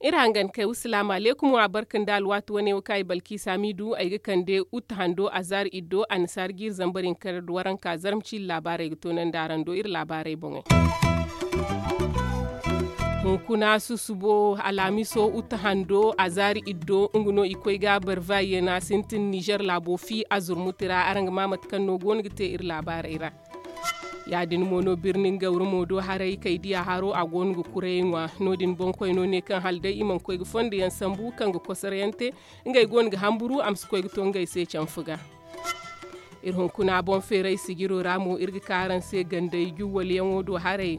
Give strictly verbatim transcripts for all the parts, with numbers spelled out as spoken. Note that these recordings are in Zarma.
Iri hangan kay wa salaamu alaykum wa barka nda alwaati wane wo kaŋ ay balki saamiidu ay ga kande utte hando azaari iddo annasaari jiiri zambar hinka nda waranka zarma ciiri laabaarey ga toonandi araŋ do iri laabaarey boŋey. Hunkuna susubo alhamiso utte hando azaari iddo nga no i koy ga barvaayena sintin nizer laabo fi azurmuti ra araŋ ga ma mate kaŋ no go no ga te iri laabaarey ra. Ya- din mo no birni nga wura mo do haray kay diya haro a go no ga kurayey ŋwa. No- din boŋkoy no ne kaŋ hala day i mana koy ga fondo yaŋ sambu kaŋ ga kosoro yaŋ te ngey go no ga hamburu a ma si koy ga to ngey se canfu ga. Iri hunkuna boŋ feeray sijiro ra mo iri ga ka araŋ se ganday juwwal yaŋo do haray.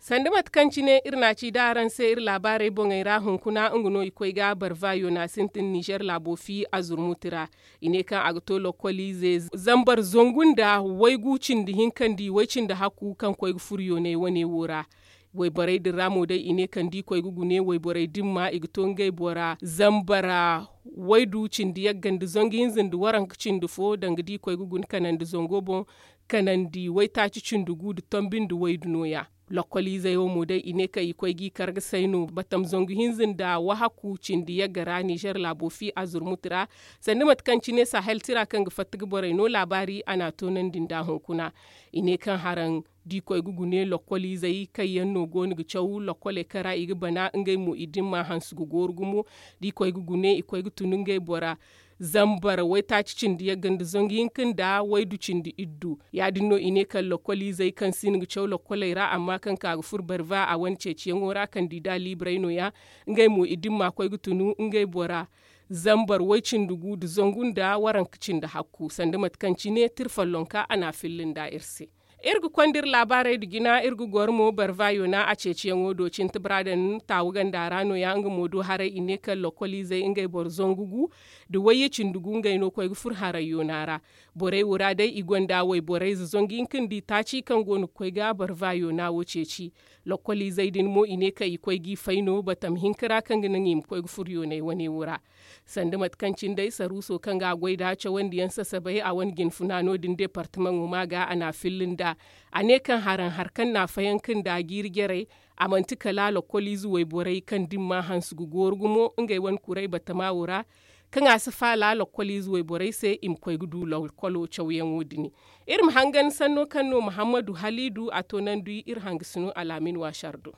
Sanda mate kaŋ cine iri na a ci da araŋ se iri laabaarey boŋey ra hunkuna nga no i koy ga barva yoona sintin nizer laabo fi azurmuti ra. I ne kaŋ a ga to lokkoliize zambar zangu nda waygu cindi hinka nda i way cindi hakku kaŋ koy ga furo yoonay wane wo ra. Wayborey din ra mo day i ne kaŋ da i koy ga gune wayborey din ma i ga to ngey bora zambara waydu cindi yagga nda zangu hinza nda waranka cindi fo danga da i koy ga gune kanandi zango boŋ kanandi waytaaci cindi gu nda tombi nda waydu nooya. Lokkoliizey wo mo day i ne kaŋ i koy g'i kar ga say no batam zangu hinza nda wahakku cindi yagga ra nizer laabo fi azurmuti ra. Sanda mate kaŋ cine sahel tira kaŋ ga fatta ga borey no laabaari a n'a toonandi nd'a hunkuna. I ne kaŋ haraŋ da i koy ga gune lokkoliizey kaŋ yaŋ no go no ga caw lokkoley kaŋ ra i ga bana ngey mo i dimma hanse ga gooru gumo. Da i koy ga gune i koy ga tun ngey bora zambar waytaaci cindi yagga nda zangu hinka nda waydu cindi iddu. Ya- din no i ne kaŋ lokkoliizey kaŋ si no ga caw lokkoley ra amma kaŋ ka ga furo barva a wane ceeciyaŋo ra kandida liibarey nooya. Ngey mo i dimma koy ga tunu ngey bora zambar way cindi gu nda zangu nda waranka cindi hakku sanda mate kaŋ cine tira follonka a n'a filla nda iri se. Iri ga konda iri laabaarey nda jina iri ga goro mo barva yoona a ceeciyaŋo do cinti baradan taawu ganda ra nooya nga mo do haray i ne kaŋ lokkoliizey ngey boro zangu gu nda wayye cindi gu ngey no koy ga furo haray yoona ra. Borey wo ra day i gonda wayborey za zangu hinka nda i taaci kaŋ go no ga koy ga barva yoona wo ceeci. Lokkoliizey din mo i ne kaŋ i koy g'i fay no batam hinka ra kaŋ ga naŋ i ma koy ga furo yoonay wane wo ra. Sanda mate kaŋ cine day saruuso kaŋ ga a goy nd'a cawandiyaŋ sasabay a wane jinfuna no- din departamaŋo ma ga a n'a filla nd'a. A ne kaŋ haraŋ hari kaŋ n'a fayanka nd'a jiiri jarey a manti kala lokkoliize wayborey kaŋ dimma hanse ga gooru gumo ngey wane kuray batama wo ra. Kaŋ a si faala lokkoliize wayborey se i ma koy ga du lokkolo cawyaŋo din. Iri ma hangan sanno kaŋ no muhammadu haliidu a toonandi iri hangasino alaamin waasar do.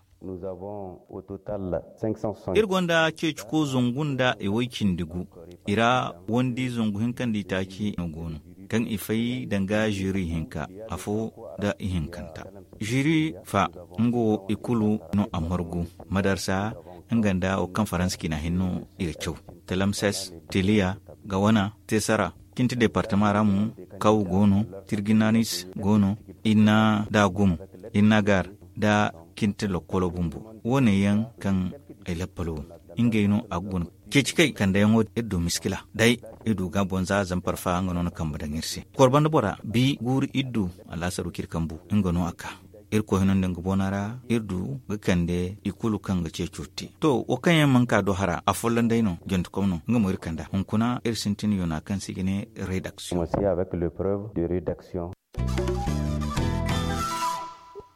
Iri gonda ceeciko zangu nda i way cindi gu. I ra wandi zangu hinka nda i taaci no go no kaŋ i fay danga ziri hinka afo nda ihinkanta. Ziri fa nga wo i kulu no a margu madarsa nga nda wo kaŋ faransa cina hinno i ga caw. Talamses, tiliya, gawana, tesara, cinti departama ra mo, kaw go no, tirginanis go no, inna da gumo, inna gar, da cinti lokkolo bumbo. Wo- ne yaŋ kaŋ ay lappalo ngey no a ga guna. Ceeci kay kandayaŋo iri du miskila day iri du ga boŋ za zampar fa nga no na kambe daŋ iri se. Kor banda bora bi guuru iri du, alaasaru kaŋ iri kambu nga no a ka. Irkoy hino nda nga boona ra iri du ga kande i kulu kaŋ ga ceeco te. To wo kaŋ yaŋ mana ka do hara a folloŋ day no janti kom no nga mo iri kanda hunkuna iri sintin yoona kaŋ se i ga ne redaksiyoŋ.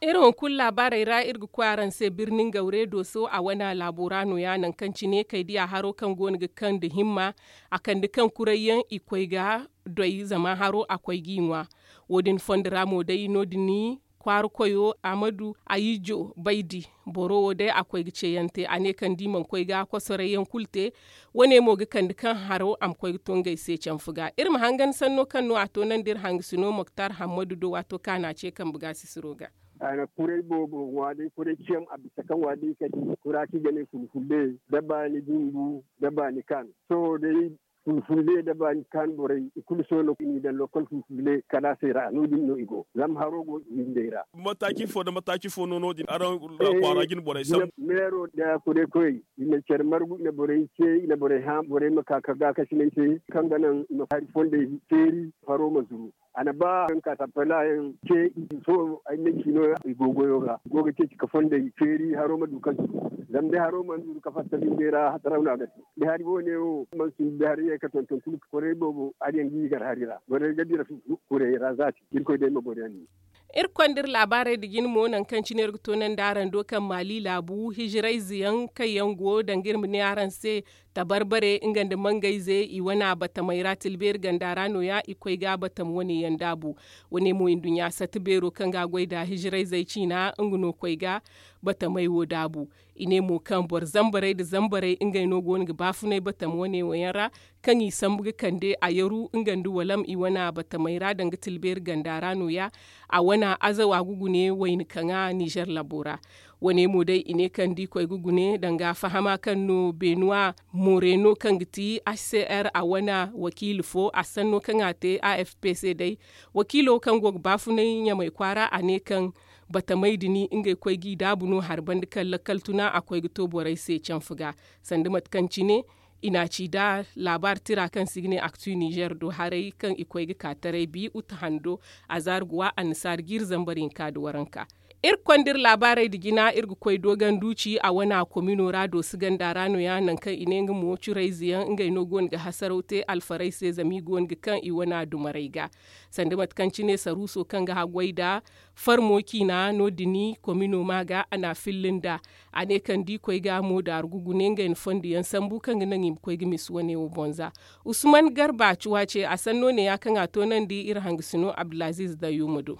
Iri hunkuna laabaarey ra iri ga koy araŋ se birni ngawre dooso a wane laabo ra nooya nangu kaŋ cine kay diya haro kaŋ go no ga kaŋ nda himma. A kande kaŋ kuray yaŋ i koy ga doy zama haro a koy g'i ŋwa. Wo- din fondo ra mo day no- din kwaara koyo ahmadu ayijo baydi. Boro wo day a koy ga ceeyaŋ te a ne kaŋ da i mana koy ga kosoray yaŋ kulu te. Wo- ne mo ga kande kaŋ haro a ma koy ga to ngey se canfu ga iri ma hangan sanno kaŋ no a toonandi iri hangasino moktar hammadu do waato kaŋ a na a ce kambe ga sisiro ga. A na kuray boobo ŋwa day kuray ciyam a bisa kaŋ wa day ka di kura kaŋ i ga ne fulfulle da baani bumbu da baani kaan sohõ day. Fulfulle da baani kaan borey i kulu sohõ no i n'i daŋ lokol fulfulle kalaasey ra no- din no i go zama haro go i windey ra. Mataaci fo nda mataaci fo no no- din araŋ kwaara jine borey sambu. Meero nda kuray koyey i na care margu i na borey ce i na borey hã borey ma ka ka gaakasiney se kaŋ ga naŋ i ma hari fondey feeri haro ma zuru. A na ba kaŋ ka tappala yaŋ ce i fo ay ne cino i go goyo ga i go ga ceeci ka fondey feeri haro ma du kaŋ si du. Zama day haro mana du ka fatta binde ra hasaraw no a ga te. Day hari wo ne wo mana sinda day hari ye ka tonton kulu ka koray boobo hari yaŋ ga i gar hari ra borey ga dira kurey ra zaati. Irkoy day ma boro yaŋ ni. Iri konda iri laabaarey nda jina mo nangu kaŋ cine iri ga toonandi araŋ do kaŋ maali laabu hijirayze yaŋ kaŋ yaŋ go danga iri ma ne araŋ se, tabarbare nga nda mangayze i wana batamey ra tilbeeri ganda ra no- ya i koy ga batam wane yaŋ daabu. Wane mo nduɲɲa sata beero kaŋ ga a goy nda hijirayzey ciina nga no koy ga batamey wo daabu. I ne mo kaŋ boro zambarey nda zambarey ngey no go no ga baafunay batam wane wo yaŋ ra, kaŋ i sambu ga kande a yaru nga nda walam i wana batamey ra danga tilbeeri ganda ra no- ya. A wana azawa ga gune wayna kaŋa nizer labo ra. Wane mo day i ne kaŋ da i koy ga gune danga fahama kaŋ no benuwa moreno kaŋ ga ti h c r a wana wakiili fo a sanno kaŋ a te a f p c day. Wakiilo kaŋ go ga baafunay ɲamay kwaara a ne kaŋ batamey din ngey koy g'i daabu no hari banda kaŋ lakkal tuna a koy ga to borey se canfa ga. Sanda mate kaŋ cine i n'a ci nda laabaari tira kaŋ se i ga ne aktu nizer do haray kaŋ i koy ga ka taray bi uta hando, azaari ga wa annasaari jiiri zambar hinka nda waranka. Iri konda iri laabaarey nda jina iri ga koy dooganduuci a wana komino ra doosi ganda ra no- ya nangu kaŋ i ne nga mo curayze yaŋ ngey no go no ga hasaraw te alfarey se zama i go no ga kaŋ i wana dumarey ga. Sanda mate kaŋ cine saruuso kaŋ ga haggoy nda farmo ciina no- din komino ma ga a n'a filla nd'a. A ne kaŋ da i koy ga mo daaru ga gune ngey na fondo yaŋ sambu kaŋ ga naŋ i ma koy ga misa wane wo boŋ za. Usman garba cuwa ce a sanno ne- ya kaŋ a toonandi iri hangasino abdulaziiz dayyuma do.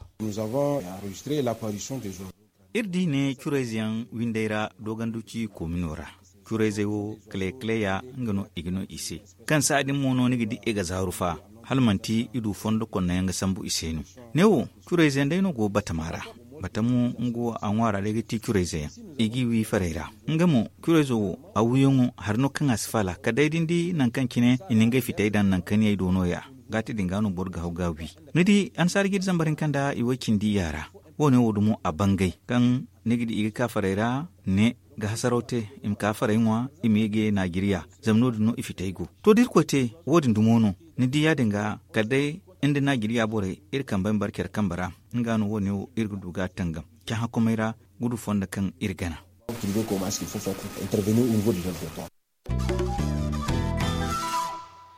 Iri di ne curayze yaŋ windey ra dooganduci koomino ra. Curayzey wo kale kale ya nga no i ga no i se. Kaŋ saadin mo no ni ga di i ga zaaru fa hala manti i du fondo konno yaŋ ga sambu i se no. Ne wo curayze yaŋ day no go batama ra. Batamo nga wo a ŋwaara day ga ti curayze yaŋ i g'i wi farey ra. Nga mo curayzo wo a wiyaŋo hari no kaŋ a si faala kala day da ni di nangu kaŋ cine i na ngey fitey daŋ nangu kaŋ yay do no- ya. Gaati din ga no boro ga haw ga a wi. Ni di annasaara jiiri zambar hinka nda i way cindi yaara. Wo- ne wo dumo a bangay kaŋ ni ga di i ga ka farey ra ne ga hasaraw te i ma ka farey ŋwa i ma ye ga ye naajiriya. Zama no- din no i fitey go to da irkoy te wo- din dumo no. Ni di ya- din ga kala day nda naajiriya borey iri kambey ma bare care kambe ra. Nga no wo- ne wo iri ga du ga a tangam cahãkomey ra gudu fondo kaŋ iri gana.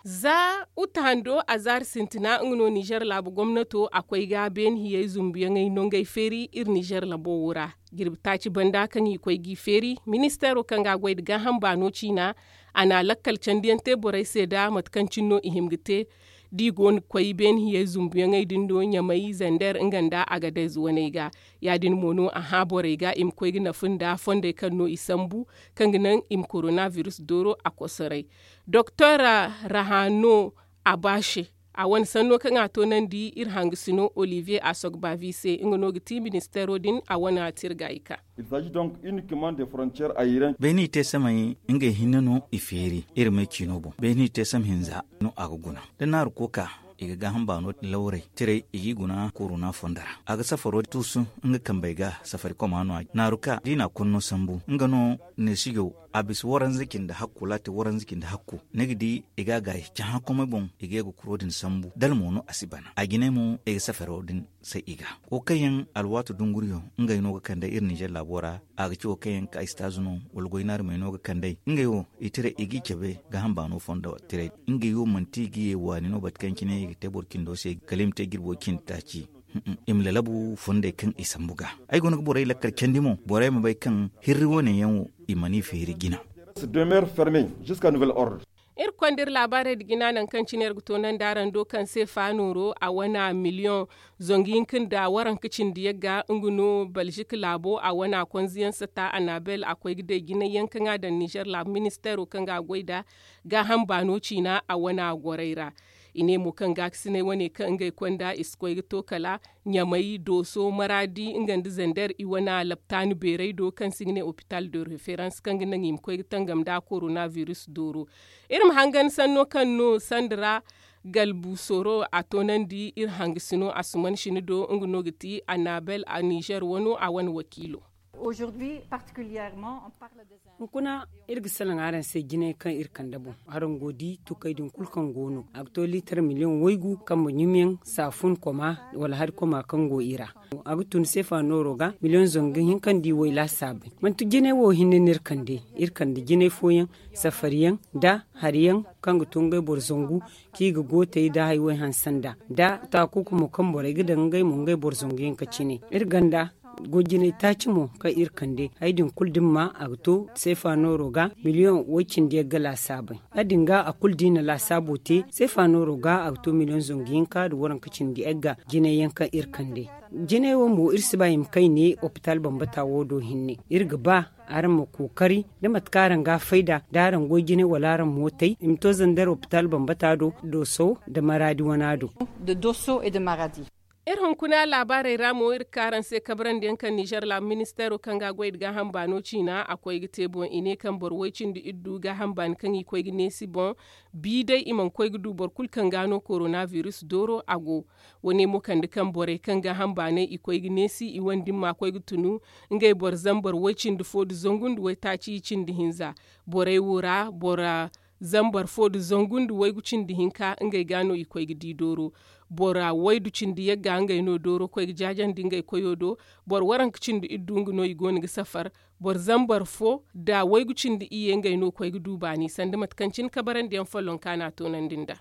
Za uta hando azaari sintina nga no nizer laabu gomnato a koy ga beene hiyey zumbuyaŋey nongey feeri iri nizer labo wo ra. Jirbi taaci banda kaŋ i koy g'i feeri ministeero kaŋ ga a goy nda gaaham baano ciina a na a lakkal candiyaŋ te borey se nda mate kaŋ cine no i hima ga te. Da i go no ga koy beene hiyey zumbuyaŋey din do ɲamay zander nga nda agadez waney ga. Ya- din mo no a hã borey ga i ma koy ga nafa nda fondey kaŋ no i sambu kaŋ ga naŋ i ma korona biris dooro a kosoray. Doktor rahano abashe a wane sanno kaŋ a toonandi iri hangasino olivier asogbavi se nga no ga ti ministeero din a wane tirga i ka. Beeni i te samey ngey hinne no i feeri iri may ciino boŋ beeni i te sam hinza no a ga guna da naaru kooka i ga gaaham baano lawrey tiray i g'i guna korona fondo ra a ga safaro tuusu nga kambey ga safari koma no a naaru ka da i n'a konno sambu nga no neesijo a bisa waranza cindi hakku wala a te waranza cindi hakku ni ga di i ga a gaayi cahãkomey boŋ i ga ye ga kuro din sambu dala mo no a si bana a jinay mo i ga safaro din say i ga. Wo kaŋ yaŋ alwaati dunguriyo ngey no ga kande iri ninzeer laabo ra. A ga ci wo kaŋ yaŋ ka istaazu no wala goy naarumey no ga kand'ey ngey wo i tira i g'i cabe gaaham baano fondo tiray. Ngey wo manti i ga ye waani no bate kaŋ cine i ga te boro cindo se kala i ma te jirbo cindi taaci. I ma lalabu fondey kaŋ i sambu ga ay go no ga borey lakkal candi mo borey ma bay kaŋ hirri wane yaŋ wo i mana i feeri jina. Iri konda iri laabaarey nda jina nangu kaŋ cine iri ga toonandi araŋ do kaŋ se faanooro a wana miliyoŋ zangu hinka nda waranka cindi yagga nga no balzik laabo a wana konziyaŋ sata anabel a koy ga day jinay yaŋ kaŋ a daŋ nizer laabu ministeero kaŋ ga a goy nda gaaham baano ciina a wana gorey ra. I ne mo kaŋ gaakasinay wane kaŋ ngey konda i si koy ga to kala ɲamay dooso maraadi nga nda zander i wana laptaani beerey do kaŋ se i ga ne opital de referans kaŋ ga naŋ i ma koy ga tangam nda korona biris dooro. Iri ma hangan sanno kaŋ no sanda ra galbu soro a toonandi iri hangasino asuman sini do nga no ga ti anabel a nizer wano a wane wakiilo. Hunkuna, iri ga salaŋ araŋ se jinay kaŋ iri kande boŋ. Araŋ go ga di tukey din kulu kaŋ go no, a ga to liitar miliyoŋ waygu kambe ɲumyaŋ, saafun koma wala hari koma kaŋ go i ra. A ga tun seefa nooro ga miliyoŋ zangu hinka nda i way laasaabey. Manti jinay wo hinne no iri kande. Iri kande jinay fooyaŋ, safari yaŋ, nda hari yaŋ kaŋ ga to ngey boro zangu, kaŋ i ga gootey nda hari way hanse nda, nda taakuku mo kaŋ borey ga daŋ ngey mo ngey boro zangu yaŋ ga cine. Iri ganda goy jinay taaci mo kaŋ iri kande, hari din kulu da ni ma, a ga to seefa nooro ga miliyoŋ way- cindi yaŋ ga laasaabey. Ya- din ga a kulu da i na laasaabo te seefa nooro ga, a ga to miliyoŋ zangu hinka nda waranka cindi yaŋ ga jinay yaŋ kaŋ iri kande. Jinay wo mo iri si ba i ma kayne opitaal bambata wo do hinne. Iri ga ba araŋ ma kookari da mate kaŋ araŋ ga a fayda, da araŋ goy jinay wala araŋ mootey, i ma to zander opitaal bambata do, dooso nda maraadi wana do. Iri hunkuna laabaarey ra mo, iri ga ka araŋ se kabrandi yaŋ kaŋ ninzeer laabu ministeero kaŋ ga a goy nda gaaham baano ciina a koy ga te boŋ, i ne kaŋ boro way- cindi iddu gaaham baani kaŋ i koy ga neesi boŋ. Bi day i mana koy ga du boro kulu kaŋ ga no korona biris dooro a go. Wo- ne mo kande kaŋ borey kaŋ gaaham baanay i koy ga neesi i wane din ma koy ga tunu. Ngey boro zambar way- cindi fo nda zangu nda waytaaci cindi hinza. Borey wo ra boro zambar fo nda zangu nda waygu cindi hinka ngey ga no i koy ga di dooro. Boro waydu cindi yagga ngey no dooro koy ga jaajandi ngey koyo do. Boro waranka cindi iddu nga no i go no ga safar. Boro zambar fo nda waygu cindi iyye ngey no koy ga du baani sanda mate kaŋ cine kabarandi yaŋ follonka no a toonandi nd'a.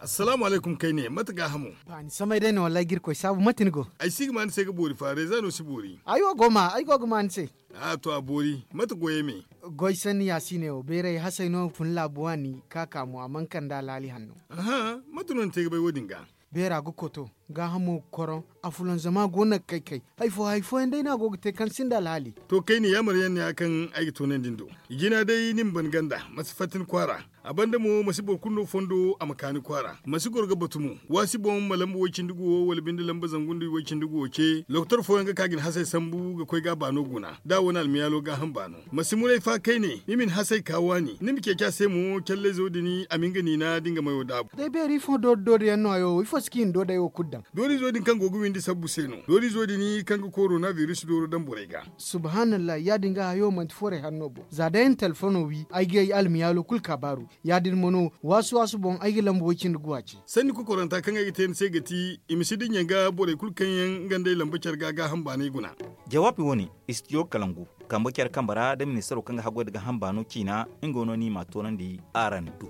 Assalaamu alaykum kayne, mate gaahamo? Baani samay day no wallaahi ga iri koy saabu, mate ni go? Ay si ga ma ni se ga boori fa reeza no si boori. Ay wo go ma ay go ga ma ni se. A to a boori, mate goyey me? Goy sanni yaasiine wo beeray hasay no fun laabu waani ka ka mo a mana kande alhaali hanno. Aha, mate no ni te ga bay wo- din ga? Beera ga koto, gaahamo ga koroŋ, afulanzama go no ga kay-kay. Hari fo hari fooyaŋ day no a go ga te kaŋ sinda alhaali. To kayne yaamar yaŋ no ya kaŋ ay ga toonandi ni do. I jina day ni ma ban ganda, ma si fatta ni kwaara. A banda mo ma si boro kulu no fondo a ma ka ni kwaara, ma si goro ga batu mo. Waasi boŋ ma lamba way- cindi guwo wala binde lamba zangu nda way- cindi guwo ce, lokotor fooyaŋ ga ka ga ni hasay sambu ga koy ga a baano guna da a wane almiyaalo gaaham baano. Ma si muray fa kayne ni ma ni hasay ka waani, ni ma ceeci a se mo callayzo din a ma nga niina da nga mayo daabu. Day beeri ifo doori doori yaŋ no hayo wo ifo si ga i na doodey wo kulu daŋ? Doorizo din kaŋ go ga windi sabbu se no. Doorizo din kaŋ ga korona biris dooro daŋ borey ga. Subhaanallah, ya- din ga hayo manti forey hanno boŋ za day ay na telefono wi ay ga ay almiyaalo kulu kaabaaru. Ya- din mo no waasu waasu boŋ ay ga lamba way- cindi guwa ce. Sanni kokoranta kaŋ ay ga te ni se ga ti i ma si dinya ga borey kulu kaŋ yaŋ nga nd'ey lamba care ga gaaham baanay guna. Jawaabi wo- ne, istidiyo kalangu kambe care kambe ra nda ministaro kaŋ ga haggoy nda gaaham baano ciina. Nga no no i m'a toonandi araŋ do.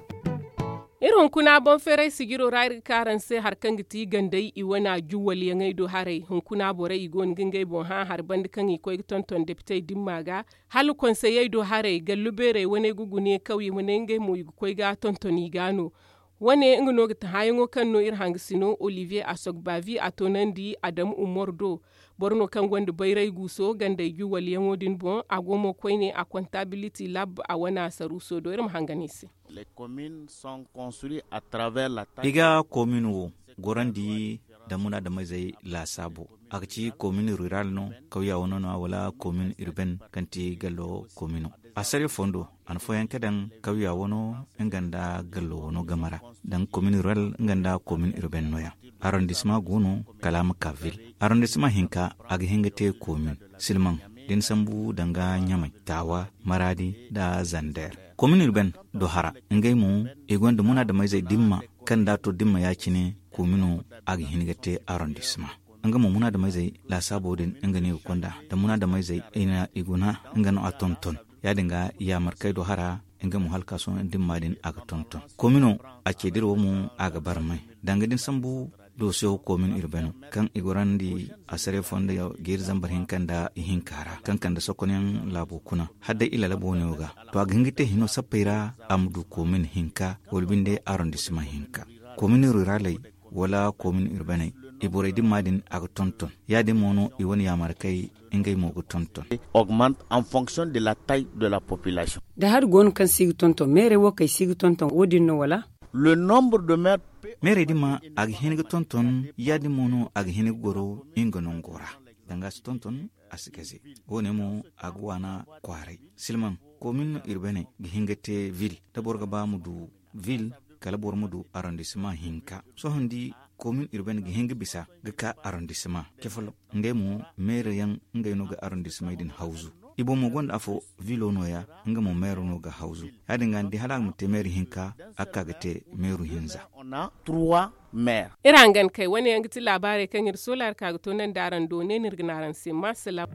Iri hunkuna boŋ feeray sijiro ra iri ga ka araŋ se hari kaŋ ga ti gandey i wana juwwalyaŋey do haray hunkuna borey i go no ga ngey boŋ hã hari banda kaŋ i koy ga tonton depitey dimma ga. Hala konseyey do haray gallu beerey waney ga gune kawye waney ngey mo i ga koy ga tonton i ga no. Wane nga no ga ti hãyaŋo kaŋ no iri hangasino olivier asogbavi a toonandi adamu umar do. Boro no kaŋ gonda bayray guuso gandey juwwalyaŋo din boŋ a go mo koyne a kontabiliti lab a wana saruuso do iri ma hangan i se. I ga komin wo gorandi nda munaadameyzey laasaabo. A ga ci komin rural no kawya wano no wala komin urbain kaŋ ti gallo komino. Asariya fondo a na fooyaŋ ka daŋ kawya wano nga nda gallo wano game ra. Daŋ komin rural nga nda komin urbain no- ya. Arrondisma go no kala a ma ka vil. Arrondisma hinka a ga hin ga te komin silmaŋ da ni sambu danga ɲamay, taawa, maraadi, nda zander. Komin urbain do hara ngey mo i gonda munaadameyzey dimma kaŋ da a to dimma ya- cine komino a ga hin ga te arrondisma. Nga mo munaadameyzey laasaabo din nga no i ga konda da munaadameyzey i na i guna nga no a tonton. Ya- din ga yaamarkey do hara nga mo hala ka sohõ dimma din a ga tonton komino. A ce dira wo mo a ga barmay danga din sambu dosiyo komin urbaino kaŋ i gorandi a sare fondo geeri zambar hinka nda ihinka ra kaŋ kande sokonyaŋ laabo kuna. Hala day i lalabooniyo ga to a ga hin ga te hino sappey ra a ma du komin hinka wala binde arrondisma hinka. Komin ruraley wala komin urbaney i borey dimma din a ga tonton. Ya- din mo no i wane yaamarkey ngey mo ga tonton. Augmente en fonction de la taille de la population. Da hari go no kaŋ si ga tonton meerey wo kaŋ i si ga tonton wo- din no wala? Le nombre de maires. Meerey din ma a ga hin ga tonton ya- din mo no a ga hin ga goro nga nango ra. Danga a si tonton a si gaze. Wo- ne mo a ga waana kwaaray silmaŋ komin urbaney ga hin ga te vil da boro ga ba ma du vil kala boro ma du arrondisma hinka. Sohõ ni di Komin urbaine ga hin ga bisa ga ka arrondissement ce folloŋ. Ngey mo meere yaŋ ngey no ga arrondissement din hawzu. I boŋ mo gonda afo vilo no- ya. Nga mo meero no ga hawzu. Ya- din ga ni di hala a ga ma te meere hinka, a ga ka ga te meero hinza. Iri hangan kay wane yaŋ ga ti laabaarey kaŋ iri soola iri ka ga toonandi araŋ do ne no iri ga ne araŋ se maasalaam.